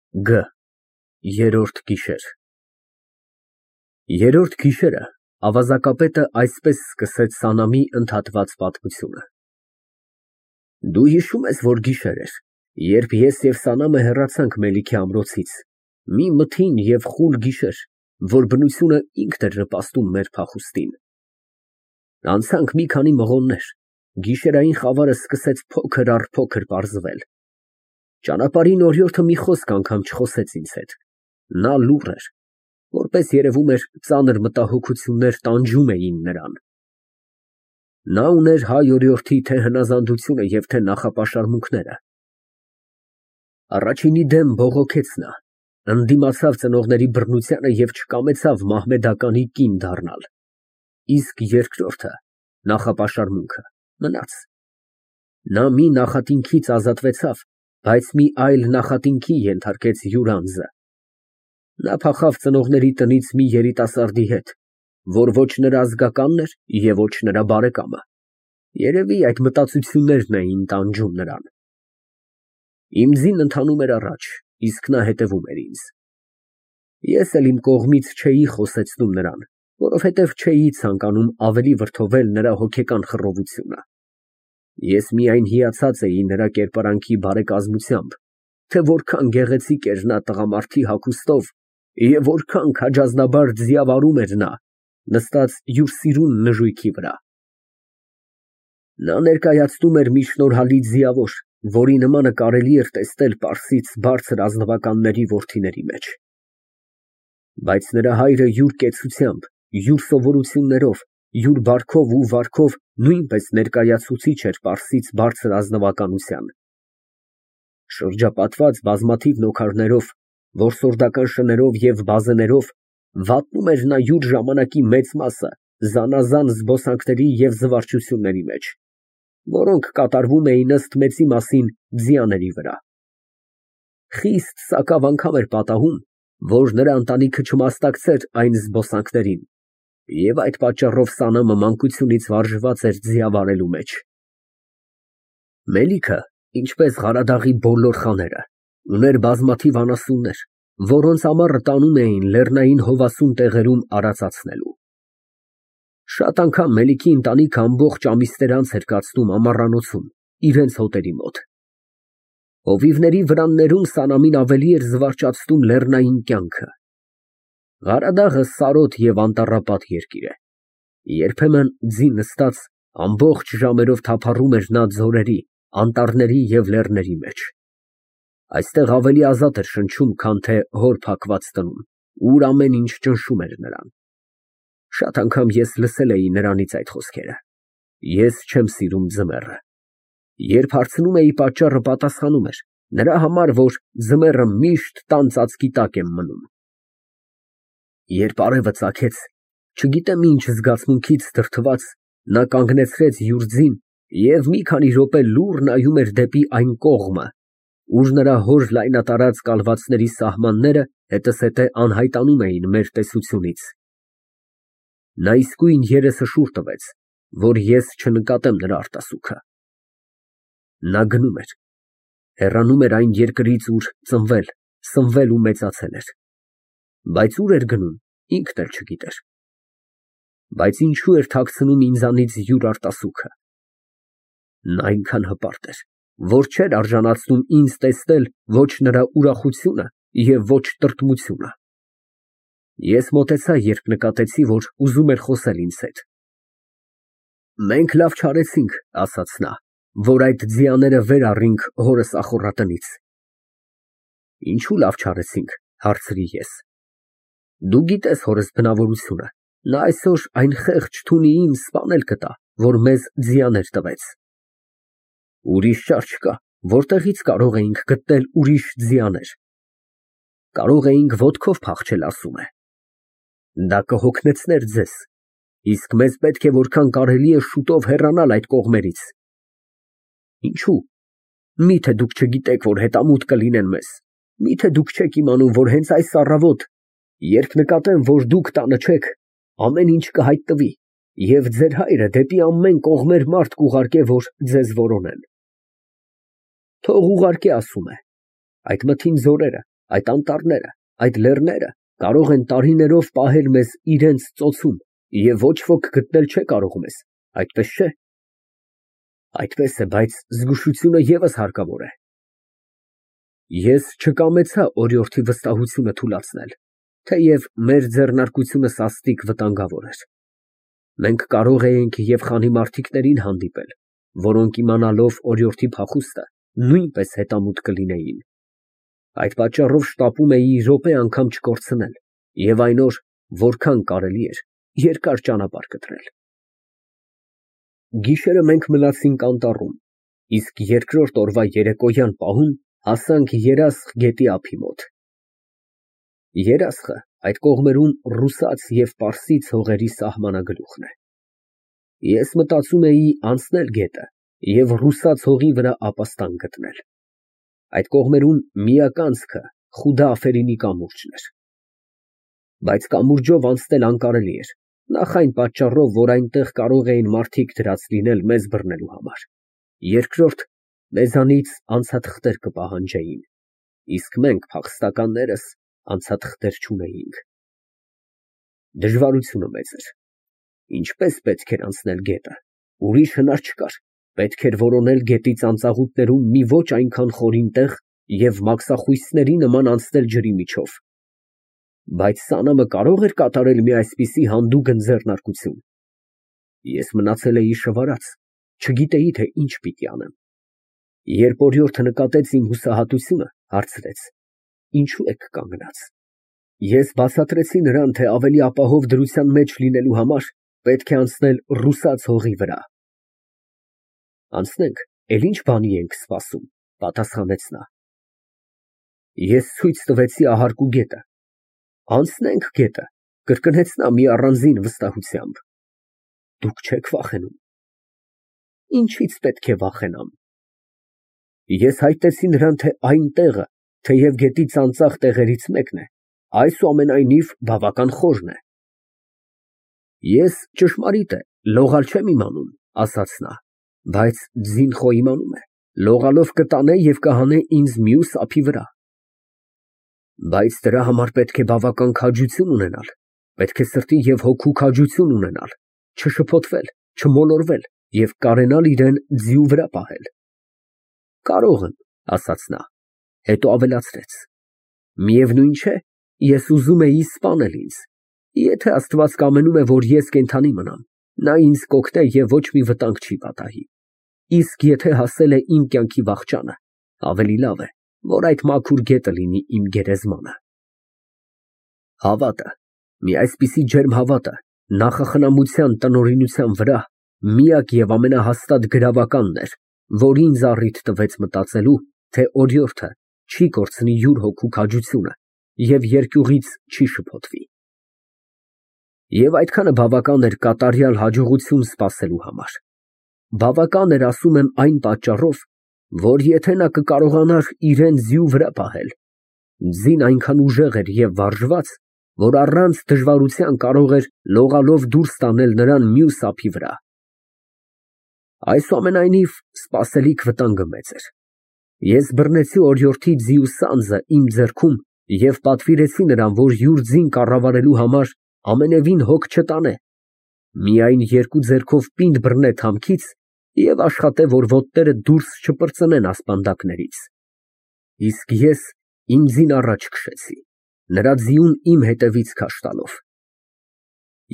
Գ Երրորդ գիշեր Երրորդ գիշերը ավազակապետը այսպես սկսեց Սանամի ընդհատված պատմությունը. Դու հիշո՞ւմ ես, որ գիշեր էր, երբ ես և Սանամը հեռացանք Մելիքի ամրոցից, մի մթին և խուլ գիշեր, որ բնությունը ինքն էր նպաստում մեր փախուստին։ Անցանք մի քանի մղոններ, գիշերային խավարը սկսեց փոքր առ փոքր պարզվել։ Ճանապարհին օրիորդը մի խոսք անգամ չխոսեց ինձ հետ, նա լուռ էր, որպես երևում էր ծանր մտահոգություններ տանջում էին նրան։ Նա ուներ հայ օրիորդի թե հնազանդությունը և թե նախապաշարմունքները։ Առաջինի դեմ բողոքեց նա, ընդդիմացավ ծնողների բռնությանը և չկամեցավ մահմեդականի կին դառնալ, իսկ երկրորդը, նախապաշարմունքը, մնաց։ Նա մի նախատինքից ազատվեցավ, բայց մի այլ նախատինքի ենթարկեց յուր անձը։ Նա փախավ ծնողների տնից մի երիտասարդի հետ, որ ոչ նրա ազգականն էր և ոչ նրա բարեկամը։ Երևի այդ մտածություններն էին տանջում նրան։ Իմ ձին ընթանում էր առաջ, իսկ նա հետևում էր ինձ։ Ես էլ իմ կողմից չէի խոսեցնում նրան, որովհետև չէի ցանկանում ավելի վրդովել նրա հոգեկան խռովությունը։ Ես միայն հիացած էի նրա կերպարանքի բարեկազմությամբ, թե որքան գեղեցիկ էր նա տղամարդի հագուստով և որքան քաջազնաբար ձիավարում էր նա, նստած յուր սիրուն նժույգի վրա։ Նա ներկայացնում էր մի շնորհալի ձիավոր, որի նմանը կարելի էր տեսնել Պարսից բարձր ազնվականների որդիների մեջ։ Բայց նրա հայրը յուր կեցությամբ, յուր սովորություններով, յուր բարքով ու վարքով նույնպես ներկայացուցիչ էր Պարսից բարձր ազնվականության։ Շրջապատված բազմաթիվ նոքարներով, որսորդական շներով և բազեներով, վատնում էր նա յուր ժամանակի մեծ մասը զանազան զբոսանքների և զվարճությունների մեջ, որոնք կատարվում էին ըստ մեծի մասին ձիաների վրա։ Խիստ սակավ անգամ էր պատահում, որ նրա ընտանիքը չմասնակցեր այն զբոսանքներին, և այդ պատճառով Սանամը մանկությունից վարժված էր ձիավարելու մեջ։ Մելիքը, ինչպես Ղարադաղի բոլոր խաները, ուներ բազմաթիվ անասուններ, որոնց ամառը տանում էին լեռնային հովասուն տեղերում արածացնելու։ Շատ անգամ Մելիքի ընտանիքը ամբողջ ամիսներ անց էր կացնում ամառանոցում, իրենց հոտերի մոտ։ Հովիվների վրաններում Սանամին ավելի էր զվարճացնում լեռնային կյանքը։ Ղարադաղը սարոտ և անտառապատ երկիր է։ Երբեմն ձի նստած ամբողջ ժամերով թափառում էր նա ձորերի, անտառների և լեռների մեջ։ Այստեղ ավելի ազատ էր շնչում, քան թե հոր փակված տնում, ուր ամեն ինչ ճնշում էր նրան։ Շատ անգամ ես լսել էի նրանից այդ խոսքերը. «Ես չեմ սիրում ձմեռը»։ Երբ հարցնում էի պատճառը, պատասխանում էր. «Նրա համար, որ ձմեռը միշտ տան ծածկի տակ եմ մնում»։ Երբ արևը ծագեց, չգիտեմ ինչ զգացմունքից դրդված, նա կանգնեցրեց յուր ձին և մի քանի րոպե լուռ նայում էր դեպի այն կողմը, ուր նրա հոր լայնատարած կալվածների սահմանները հետզհետե անհայտանում էին մեր տեսությունից։ Նա իսկույն երեսը շուռ տվեց, որ ես չնկատեմ նրա արտասուքը։ Նա գնում էր, հեռանում էր այն երկրից, ուր ծնվել, սնվել ու մեծացել էր։ Բայց ուր էր գնում, ինքն էլ չգիտեր։ Բայց ինչու էր թաքցնում ինձանից յուր արտասուքը։ Նա այնքան հպարտ էր, որ չէր արժանացնում ինձ տեսնել ոչ նրա ուրախությունը և ոչ տրտմությունը։ Ես մոտեցա, երբ նկատեցի, որ ուզում էր խոսել ինձ հետ։ «Մենք լավ չարեցինք, ֊ ասաց նա, ֊ որ այդ ձիաները վեր առինք հորս ախոռատնից»։ «Ինչու լավ չարեցինք, ֊ հարցրի ես, ֊ դու գիտես հորս բնավորությունը, նա այսօր այն խեղճ թունիին սպանել կտա, որ մեզ ձիաներ տվեց»։ «Ուրիշ ճար չկա, որտեղի՞ց կարող էինք գտնել ուրիշ ձիաներ»։ «Կարող էինք ոտքով փախչել, ասում է»։ «Դա կհոգնեցներ ձեզ, իսկ մեզ պետք է որքան կարելի է շուտով հեռանալ այդ կողմերից»։ «Ինչու՞։ Մի՞թե դուք չգիտեք, որ հետամուտ կլինեն մեզ, մի՞թե դուք չեք իմանում, որ հենց այս առավոտ, երբ նկատեն, որ դուք տանը չեք, ամեն ինչ կհայտնվի, և ձեր հայրը դեպի ամեն կողմեր մարդ կուղարկե, որ ձեզ որոնեն»։ «Թող ուղարկե, ասում է, այդ մթին ձորերը, այդ անտառները, այդ լեռները կարող են տարիներով պահել մեզ իրենց ծոցում և ոչ ոք գտնել չէ կարող մեզ, այդպես չէ։ Այդպես է, բայց զգուշությունը ևս հարկավոր է։ Ես չկամեցա օրիորդի վստահությունը թուլացնել, թեև մեր ձեռնարկությունը սաստիկ վտանգավոր էր։ Մենք կարող էինք և խանի մարդիկներին հանդիպել, որոնք իմանալով օրիորդի փախուստը նույնպես հետամուտ կլինեին։ Այդ պատճառով շտապում էի րոպե անգամ չկորցնել և այն օր, որքան կարելի էր, երկար ճանապարհ կտրել։ Գիշերը մենք մնացինք անտառում, իսկ երկրորդ օրվա երեկոյան պահուն հասանք Երասխ գետի ափի մոտ։ Երասխը այդ կողմերում ռուսաց և պարսից հողերի սահմանագլուխն է։ Ես մտածում էի անցնել գետը և ռուսաց հողի վրա ապաստան գտնել։ Այդ կողմերում միակ անցքը Խուդա Աֆերինի կամուրջն էր։ Բայց կամուրջով անցնել անկարելի էր, նախ այն պատճառով, որ այնտեղ կարող էին մարդիկ դրած լինել մեզ բռնելու համար, երկրորդ, մեզանից անցաթղթեր կպահանջեին, իսկ մենք փախստականներս անցաթղթեր չունեինք։ Դժվարությունը մեծ էր։ Ինչպես պետք էր անցնել գետը, ուրիշ հնար չկար, պետք էր որոնել գետի ծանծաղուտներում մի ոչ այնքան խորին տեղ և մաքսախույսների նման անցնել ջրի միջով։ Բայց սանամը կարող էր կատարել մի այսպիսի հանդուգն ձեռնարկություն։ Ես մնացել էի շվարած, չգիտեի, թե ինչ պիտի անեմ։ Երբ օրիորդը նկատեց իմ հուսահատությունը, հարցրեց. «Ինչու եք կանգնած»։ Ես բացատրեցի նրան, թե ավելի ապահով դրության մեջ լինելու համար պետք է անցնել ռուսաց հողի վրա։ Անցնենք, էլ ինչ բանի ենք սպասում, պատասխանեց նա։ Ես ցույց տվեցի ահարկու գետը։ Անցնենք գետը, կրկնեց նա մի առանձին վստահությամբ։ Դուք չեք վախենում։ Ինչից պետք է վախենամ։ Ես հայտնեցի նրան, թե այն տեղը, թեև գետի ծանծաղ տեղերից մեկն է, այսուամենայնիվ բավական խորն է։ Ես, ճշմարիտ է, լողալ չեմ իմանում, ասաց նա, բայց Ձինխո իմանում է, լողալով կտանե և կհանե ինձ մյուս ափի վրա։ Բայց դրա համար պետք է բավական քաջություն ունենալ, պետք է սրտի և հոգու քաջություն ունենալ, չշփոթվել, չմոլորվել և կարենալ իրեն ձիու վրա պահել։ Կարող եմ, ասաց նա, հետո ավելացրեց. միևնույն չէ, ես ուզում էի սպանել ինձ, եթե Աստված կամենում է, որ ես կենդանի մնամ, նա ինձ կօգնե և ոչ մի վտանգ չի պատահի, իսկ եթե հասել է իմ կյանքի վախճանը, ավելի լավ է, որ այդ մաքուր գետը լինի իմ գերեզմանը։ Հավատը, մի այսպիսի ջերմ հավատը, նախախնամության տնօրինության վրա միակ և ամենահաստատ գրավականն էր, որ ինձ առիթ տվեց մտածելու, թե օրիորդը չի կորցնի յուր հոգու քաջությունը և երկյուղից չի շփոթվի։ Եվ այդքանը բավական էր կատարյալ հաջողություն սպասելու համար։ Բավական էր, ասում եմ, այն պատճառով, որ եթե նա կկարողանար իրեն ձիու վրա պահել, ձին այնքան ուժեղ էր և վարժված, որ առանց դժվարության կարող էր լողալով դուրս տանել նրան մյուս ափի վրա։ Այսուամենայնիվ, սպասելիք վտանգը մեծ էր։ Ես բռնեցի օրիորդի ձիու սանձը իմ ձեռքում և պատվիրեցի նրան, որ յուր ձին կառավարելու համար ամենևին հոգ չտանե, միայն երկու ձեռքով պինդ բռնե թամքից և աշխատե, որ ոտները դուրս չպրծնեն ասպանդակներից։ Իսկ ես իմ ձին առաջ քշեցի, նրա ձիուն իմ հետևից քաշ տալով։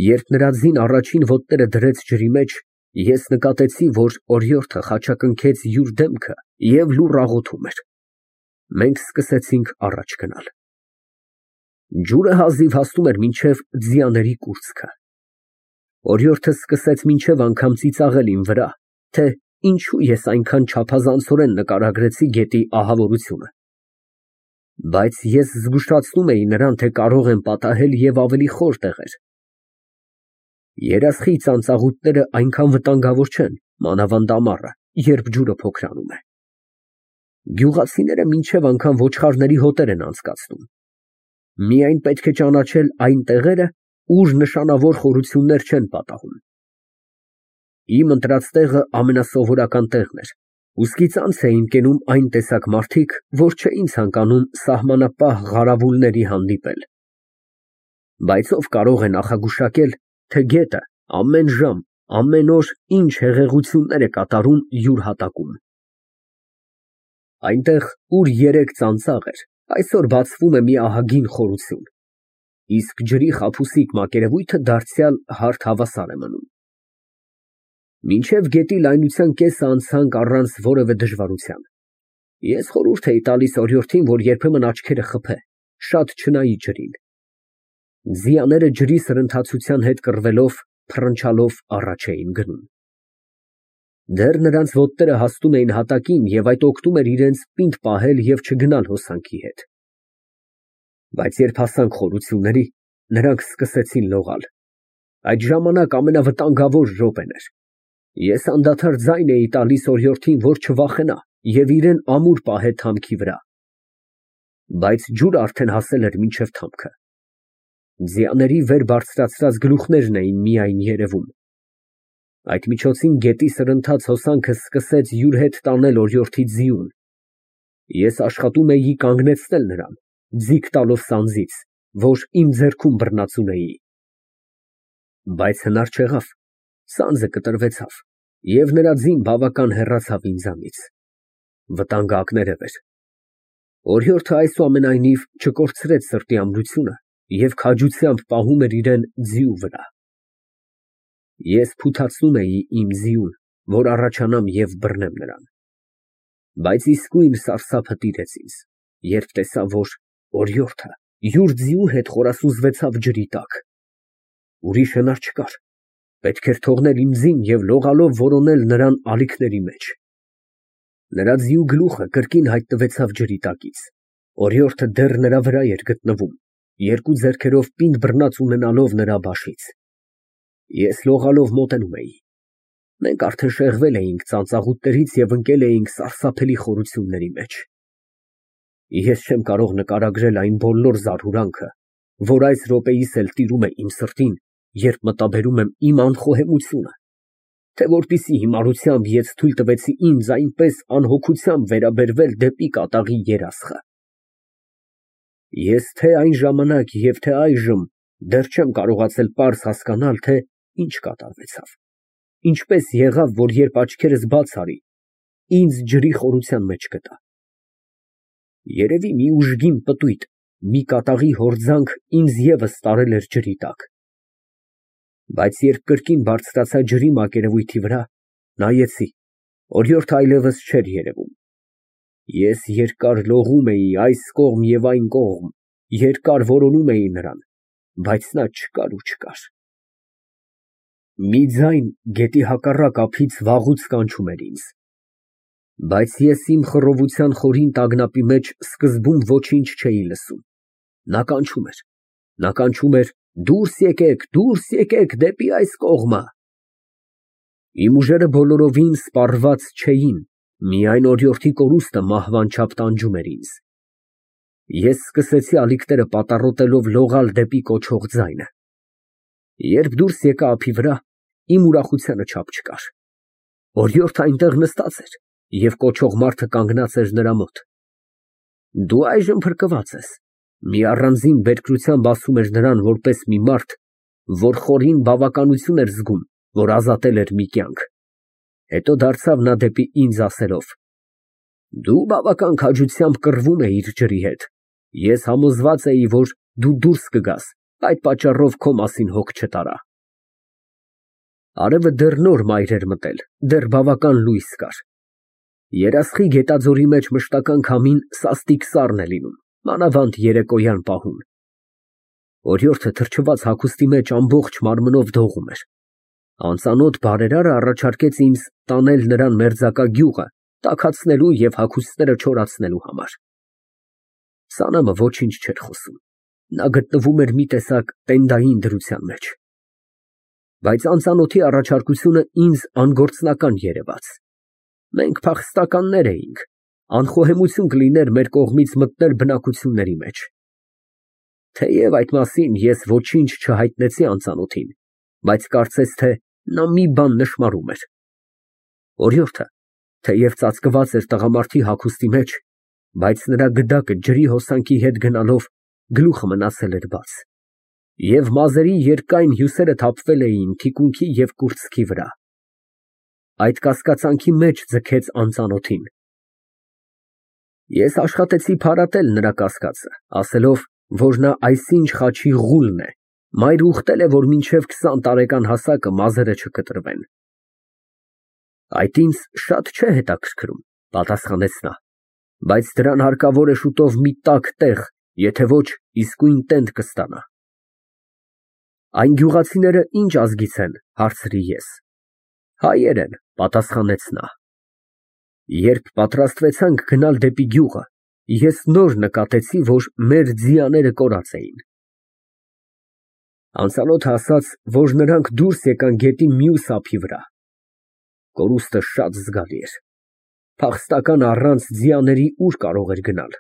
Երբ նրա ձին առաջին ոտները դրեց ջրի մեջ, ես նկատեցի, որ օրիորդը խաչակնքեց յուր դեմքը և լուռ աղոթում էր։ Մենք սկսեցինք առաջ գնալ։ Ջուրը հազիվ հասնում էր մինչև ձիաների կուրծքը։ Օրիորդը սկսեց մինչև անգամ ծիծաղել իմ վրա, թե ինչու ես այնքան չափազանցորեն նկարագրեցի գետի ահավորությունը։ Բայց ես զգուշացնում էի նրան, թե կարող եմ պատահել և ավելի խոր տեղեր։ Երասխի ծանծաղուտները այնքան վտանգավոր չեն, մանավանդ ամառը, երբ ջուրը փոքրանում է։ Գյուղացիները մինչև անգամ ոչխարների հոտեր են անցկացնում։ Միայն պետք է ճանաչել այն տեղերը, ուր նշանավոր խորություններ չեն պատահում։ Իմ ընտրած տեղը ամենասովորական տեղն էր, Ուսկից անց էին կենում այն տեսակ մարդիկ, որ չէին ցանկանում սահմանապահ ղարավուլների հանդիպել։ Բայց ով կարող է նախագուշակել, թե գետը ամեն ժամ, ամեն օր ինչ հեղեղություններ է կատարում յուր հատակում։ Այնտեղ, ուր երեկ ծանծաղ էր, այսօր բացվում է մի ահագին խորություն, իսկ ջրի խաբուսիկ մակերևույթը դարձյալ հարթ հավասար է մնում։ Մինչև գետի լայնության կեսը անցանք առանց որևէ դժվարության։ Ես խորհուրդ էի տալիս օրիորդին, որ երբեմն աչքերը խփե, շատ չնայի ջրին։ Ձիաները ջրի սրընթացության հետ կռվելով, փռնչալով առաջ էին գնում։ Դեռ նրանց ոտները հասնում էին հատակին և այդ օգնում էր իրենց պինդ պահել և չգնալ հոսանքի հետ։ Բայց երբ հասանք խորությունների, նրանք սկսեցին լողալ։ Այդ ժամանակ ամենավտանգավոր րոպեն էր։ Ես անդադար ձայն էի տալիս օրիորդին, որ չվախենա և իրեն ամուր պահե թամքի վրա։ Բայց ջուրը արդեն հասել էր մինչև թամքը։ Ձիաների վեր բարձրացրած գլուխներն էին միայն երևում։ Այդ միջոցին գետի սրընթաց հոսանքը սկսեց յուր հետ տանել օրիորդի ձիուն։ Ես աշխատում էի կանգնեցնել նրան, ձիգ տալով սանձից, որ իմ ձեռքում բռնած ունեի։ Բայց հնար չեղավ, սանձը կտրվեցավ, և նրա ձին բավական հեռացավ ինձանից։ Վտանգը ակներև էր։ Օրիորդը այսուամենայնիվ չկորցրեց սրտի ամրությունը և քաջությամբ պահում էր իրեն ձիու վրա։ Ես փութացնում էի իմ ձիուն, որ առաջանամ և բռնեմ նրան։ Բայց իսկույն սարսափը տիրեց ինձ, երբ տեսա, որ օրիորդը յուր ձիու հետ խորասուզվեցավ ջրի տակ։ Ուրիշ հնար չկար, պետք էր թողնել իմ ձին և լողալով որոնել նրան ալիքների մեջ։ Նրա ձիու գլուխը կրկին հայտնվեցավ ջրի տակից։ Օրիորդը դեռ նրա վրա էր գտնվում, երկու ձեռքերով պինդ բռնած ունենալով նրա բաշից։ Ես լողալով մոտենում էի։ Մենք արդեն շեղվել էինք ծանծաղուտներից և ընկել էինք սարսափելի խորությունների մեջ։ Ես չեմ կարող նկարագրել այն բոլոր զարհուրանքը, որ այս րոպեիս էլ տիրում է իմ սրտին, երբ մտաբերում եմ իմ անխոհեմությունը, թե որպիսի հիմարությամբ ես թույլ տվեցի ինձ այնպես անհոգությամբ վերաբերվել դեպի կատաղի երասխը։ Ես թե այն ժամանակ և թե այժմ դեռ չեմ կարողացել պարզ հասկանալ, թե ինչ կատարվեցավ, ինչպես եղավ, որ երբ աչքերս բաց արի, ինձ ջրի խորության մեջ գտա։ Երևի մի ուժգին պտույտ, մի կատաղի հորձանք ինձ ևս տարել էր ջրի տակ։ Բայց երբ կրկին բարձրացա ջրի մակերևույթի վրա, նայեցի, օրիորդը այլևս չէր երևում։ Ես երկար լողում էի այս կողմ և այն կողմ, երկար որոնում էի նրան, բայց նա չկար ու չկար։ Մի ձայն գետի հակառակ ափից վաղուց կանչում էր ինձ։ Բայց ես իմ խռովության խորին տագնապի մեջ սկզբում ոչինչ չէի լսում։ Նա կանչում էր դուրս եկեք դեպի այս կողմը։ Իմ ուժերը բոլորովին սպառված չէին, միայն օրիորդի կորուստը մահվան չափ տանջում էր ինձ։ Ես սկսեցի ալիքները պատառոտելով լողալ դեպի կոչող ձայնը։ Երբ դուրս եկա ափի վրա, իմ ուրախությանը չափ չկար։ Օրիորդը այնտեղ նստած էր, և կոչող մարդը կանգնած էր նրա մոտ։ Դու այժմ փրկված ես, մի առանձին բերկրությամբ ասում էր նրան որպես մի մարդ, որ խորին բավականություն էր զգում, որ ազատել էր մի կյանք։ Հետո դարձավ նա դեպի ինձ ասելով. Դու բավական քաջությամբ կռվում էիր ջրի հետ։ Ես համոզված էի, որ դու դուրս կգաս, այդ պատճառով քո մասին հոգ չտարա։ Արևը դեռ նոր մայր էր մտել, դեռ բավական լույս կար։ Երասխի գետաձորի մեջ մշտական քամին սաստիկ սառն է լինում, մանավանդ երեկոյան պահուն։ Օրիորդը թրջված հագուստի մեջ ամբողջ մարմնով դողում էր։ Անծանոթ բարերարը առաջարկեց ինձ տանել նրան մերձակա գյուղը, տաքացնելու և հագուստները չորացնելու համար։ Սանամը ոչինչ չէր խոսում, նա գտնվում էր մի տեսակ տենդային դրության մեջ։ Բայց անծանոթի առաջարկությունը ինձ անգործնական երևաց։ Մենք փախստականներ էինք, անխոհեմություն կլիներ մեր կողմից մտնել բնակությունների մեջ։ Թեև այդ մասին ես ոչինչ չհայտնեցի անծանոթին, բայց կարծես թե նա մի բան նշմարում էր։ Օրիորդը Թեև ծածկված էր տղամարդի հագուստի մեջ, բայց նրա գդակը ջրի հոսանքի հետ գնալով գլուխը մնացել էր բաց, և մազերի երկայն հյուսերը թափվել էին թիկունքի և կուրծքի վրա։ Այդ կասկածանքի մեջ ձգեց անծանոթին։ Ես աշխատեցի փարատել նրա կասկածը, ասելով, որ նա այսինչ խաչի ղուլն է, մայր ուխտել է, որ մինչև 20 տարեկան հասակը մազերը չկտրվեն։ Այդ ինձ շատ չէ հետաքրքրում, պատասխանեց նա, բայց դրան հարկավոր է շուտով մի տաք տեղ, եթե ոչ իսկույն տենդ կստանա։ Այն գյուղացիները ինչ ազգից են, հարցրի ես։ Հայեր են, պատասխանեց նա։ Երբ պատրաստվեցանք գնալ դեպի գյուղը, ես նոր նկատեցի, որ մեր ձիաները կորած էին։ Անծանոթը ասաց, որ նրանք դուրս եկան գետի մյուս ափի վրա։ Կորուստը շատ զգալի էր։ Փախստական առանց ձիաների ուր կարող էր գնալ։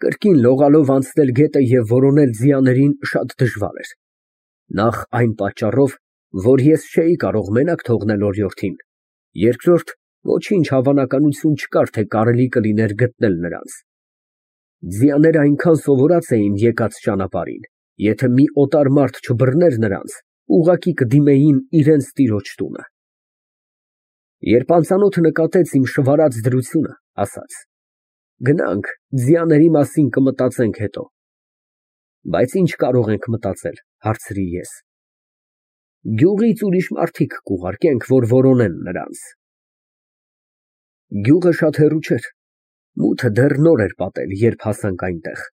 Կրկին լողալով անցնել գետը և որոնել ձիաներին շատ դժվար էր։ Նախ այն պատճառով, որ ես չէի կարող մենակ թողնել օրիորդին, երկրորդ, ոչինչ հավանականություն չկար, թե կարելի կլիներ գտնել նրանց։ Ձիաները այնքան սովորած էին եկած ճանապարհին, եթե մի օտար մարդ չբռներ նրանց, ուղղակի կդիմեին իրենց տիրոջ տունը։ Երբ անծանոթը նկատեց իմ շվարած դրությունը, ասաց. «Գնանք, ձիաների մասին կմտածենք հետո»։ Բայց ի՞նչ կարող ենք մտածել, հարցրի ես։ Գյուղից ուրիշ մարդիկ կուղարկենք, որ որոնեն նրանց։ Գյուղը շատ հեռու չէր։ Մութը դեռ նոր էր պատել, երբ հասանք այնտեղ։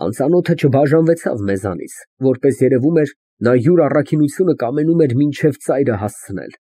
Անծանոթը չբաժանվեցավ մեզանից, որպես երևում էր, նա յուր առաքինությունը կամենում էր մինչև ծայրը հասցնել։